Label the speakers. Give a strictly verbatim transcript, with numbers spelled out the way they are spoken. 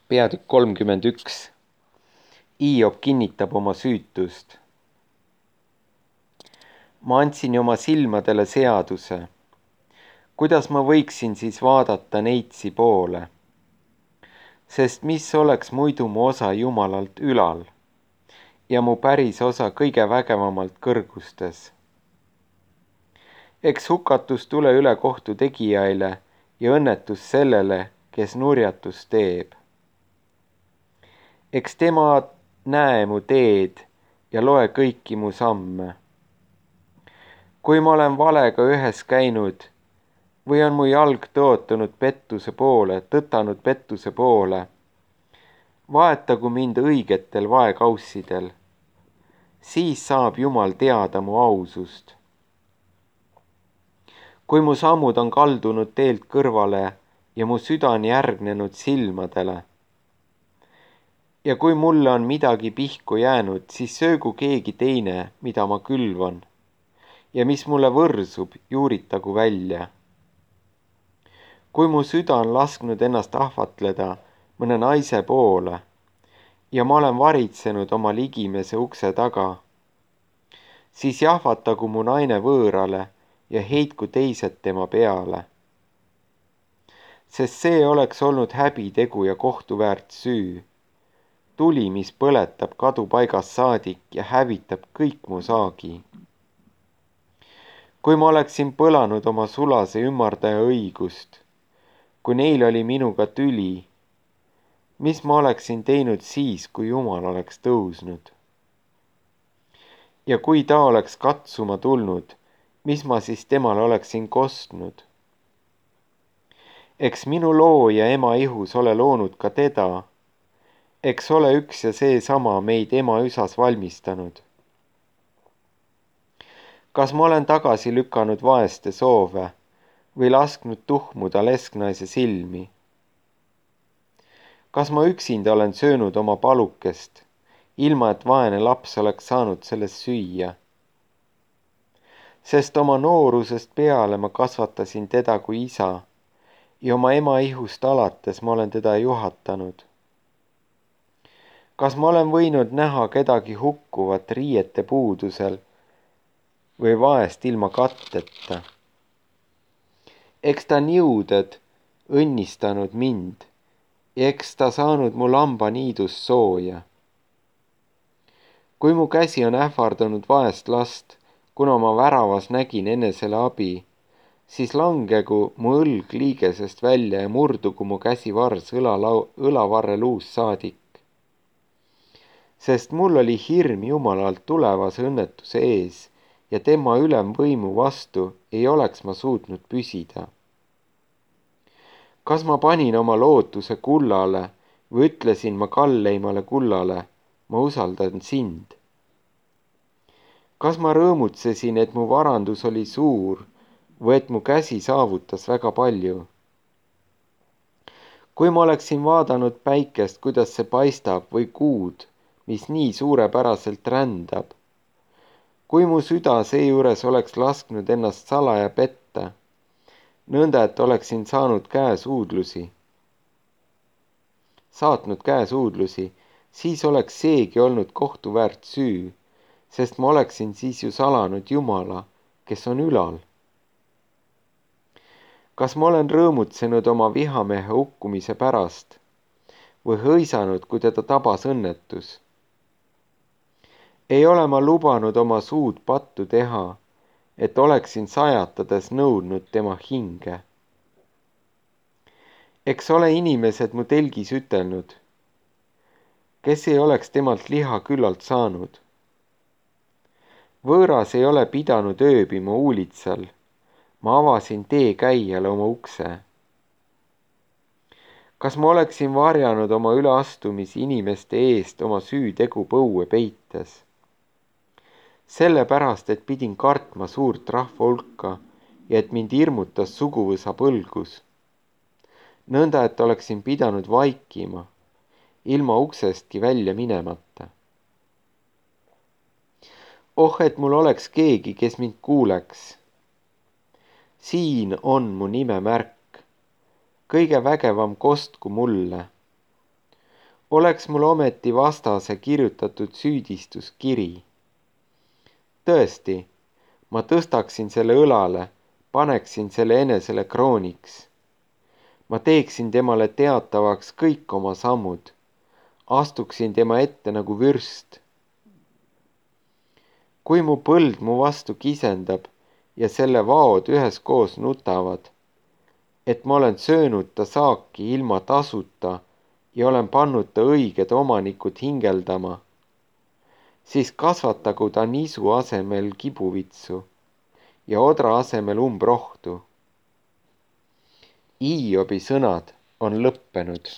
Speaker 1: Peatükk kolmkümmend üks. Iiop kinnitab oma süütust. Ma andsin oma silmadele seaduse. Kuidas ma võiksin siis vaadata neitsi poole? Sest mis oleks muidu mu osa Jumalalt ülal ja mu päris osa kõige vägevamalt kõrgustes? Eks hukatus tule üle kohtu tegijaile ja õnnetus sellele, kes nurjatust teeb. Eks tema näe mu teed ja loe kõiki mu samme. Kui ma olen valega ühes käinud või on mu jalg tõotanud pettuse poole, tõtanud pettuse poole, vaetagu mind õigetel vaekaussidel, siis saab Jumal teada mu ausust. Kui mu sammud on kaldunud teelt kõrvale ja mu süda on järgnenud silmadele, ja kui mulle on midagi pihku jäänud, siis söögu keegi teine, mida ma külvan, ja mis mulle võrsub, juuritagu välja. Kui mu süda on lasknud ennast ahvatleda mõne naise poole ja ma olen varitsenud oma ligimese ukse taga, siis jahvatagu mu naine võõrale ja heitku teised tema peale. Sest see oleks olnud häbitegu ja kohtuväärt süü, tuli, mis põletab kadupaigas saadik ja hävitab kõik mu saagi. Kui ma oleksin põlanud oma sulase ümmardaja õigust, kui neil oli minuga tüli, mis ma oleksin teinud siis, kui Jumal oleks tõusnud? Ja kui ta oleks katsuma tulnud, mis ma siis temale oleksin kostnud? Eks minu looja ema ihus ole loonud ka teda, eks ole üks ja seesama meid ema üsas valmistanud. Kas ma olen tagasi lükanud vaeste soove või lasknud tuhmuda lesknaise silmi? Kas ma üksinda olen söönud oma palukest, ilma et vaene laps oleks saanud sellest süüa? Sest oma noorusest peale ma kasvatasin teda kui isa ja oma ema ihust alates ma olen teda juhatanud. Kas ma olen võinud näha kedagi hukkuvat riiete puudusel või vaest ilma katteta? Eks ta niuded õnnistanud mind ja eks ta saanud mu lambaniidust sooja. Kui mu käsi on ähvardanud vaest last, kuna ma väravas nägin enesele abi, siis langegu mu õlg liigesest välja ja murdugu mu käsivars õlalau, õlavarre luus saadik. Sest mul oli hirm Jumalalt tulevase õnnetuse ees ja tema ülemvõimu vastu ei oleks ma suutnud püsida. Kas ma panin oma lootuse kullale või ütlesin ma kalleimale kullale, ma usaldan sind? Kas ma rõõmutsesin, et mu varandus oli suur või et mu käsi saavutas väga palju? Kui ma oleksin vaadanud päikest, kuidas see paistab, või kuud, mis nii suurepäraselt rändab, kui mu süda seejuures oleks lasknud ennast salaja petta, nõnda, et oleksin saanud käesuudlusi, saatnud käesuudlusi, siis oleks seegi olnud kohtuväärt süü, sest ma oleksin siis ju salanud Jumala, kes on ülal. Kas ma olen rõõmutsenud oma vihamehe hukkumise pärast või hõisanud, kui teda tabas õnnetus? Ei ole ma lubanud oma suud pattu teha, et oleksin sajatades nõudnud tema hinge. Eks ole inimesed mu telgis ütelnud, kes ei oleks temalt liha küllalt saanud. Võõras ei ole pidanud ööbima uulitsal, ma avasin teekäijale oma ukse. Kas ma oleksin varjanud oma üleastumisi inimeste eest oma süütegu põue peites? Sellepärast, et pidin kartma suurt rahva hulka ja et mind hirmutas suguvõsa põlgus. Nõnda, et oleksin pidanud vaikima, ilma uksestki välja minemata. Oh, et mul oleks keegi, kes mind kuuleks. Siin on mu nime märk, kõige vägevam kostku mulle. Oleks mul ometi vastase kirjutatud süüdistuskiri. Tõesti, ma tõstaksin selle õlale, paneksin selle enesele krooniks. Ma teeksin temale teatavaks kõik oma sammud, astuksin tema ette nagu vürst. Kui mu põld mu vastu kisendab ja selle vaod üheskoos nutavad, et ma olen söönud ta saaki ilma tasuta ja olen pannud ta õiged omanikud hingeldama, siis kasvatagu ta nisu asemel kibuvitsu ja odra asemel umbrohtu. Hiobi sõnad on lõppenud.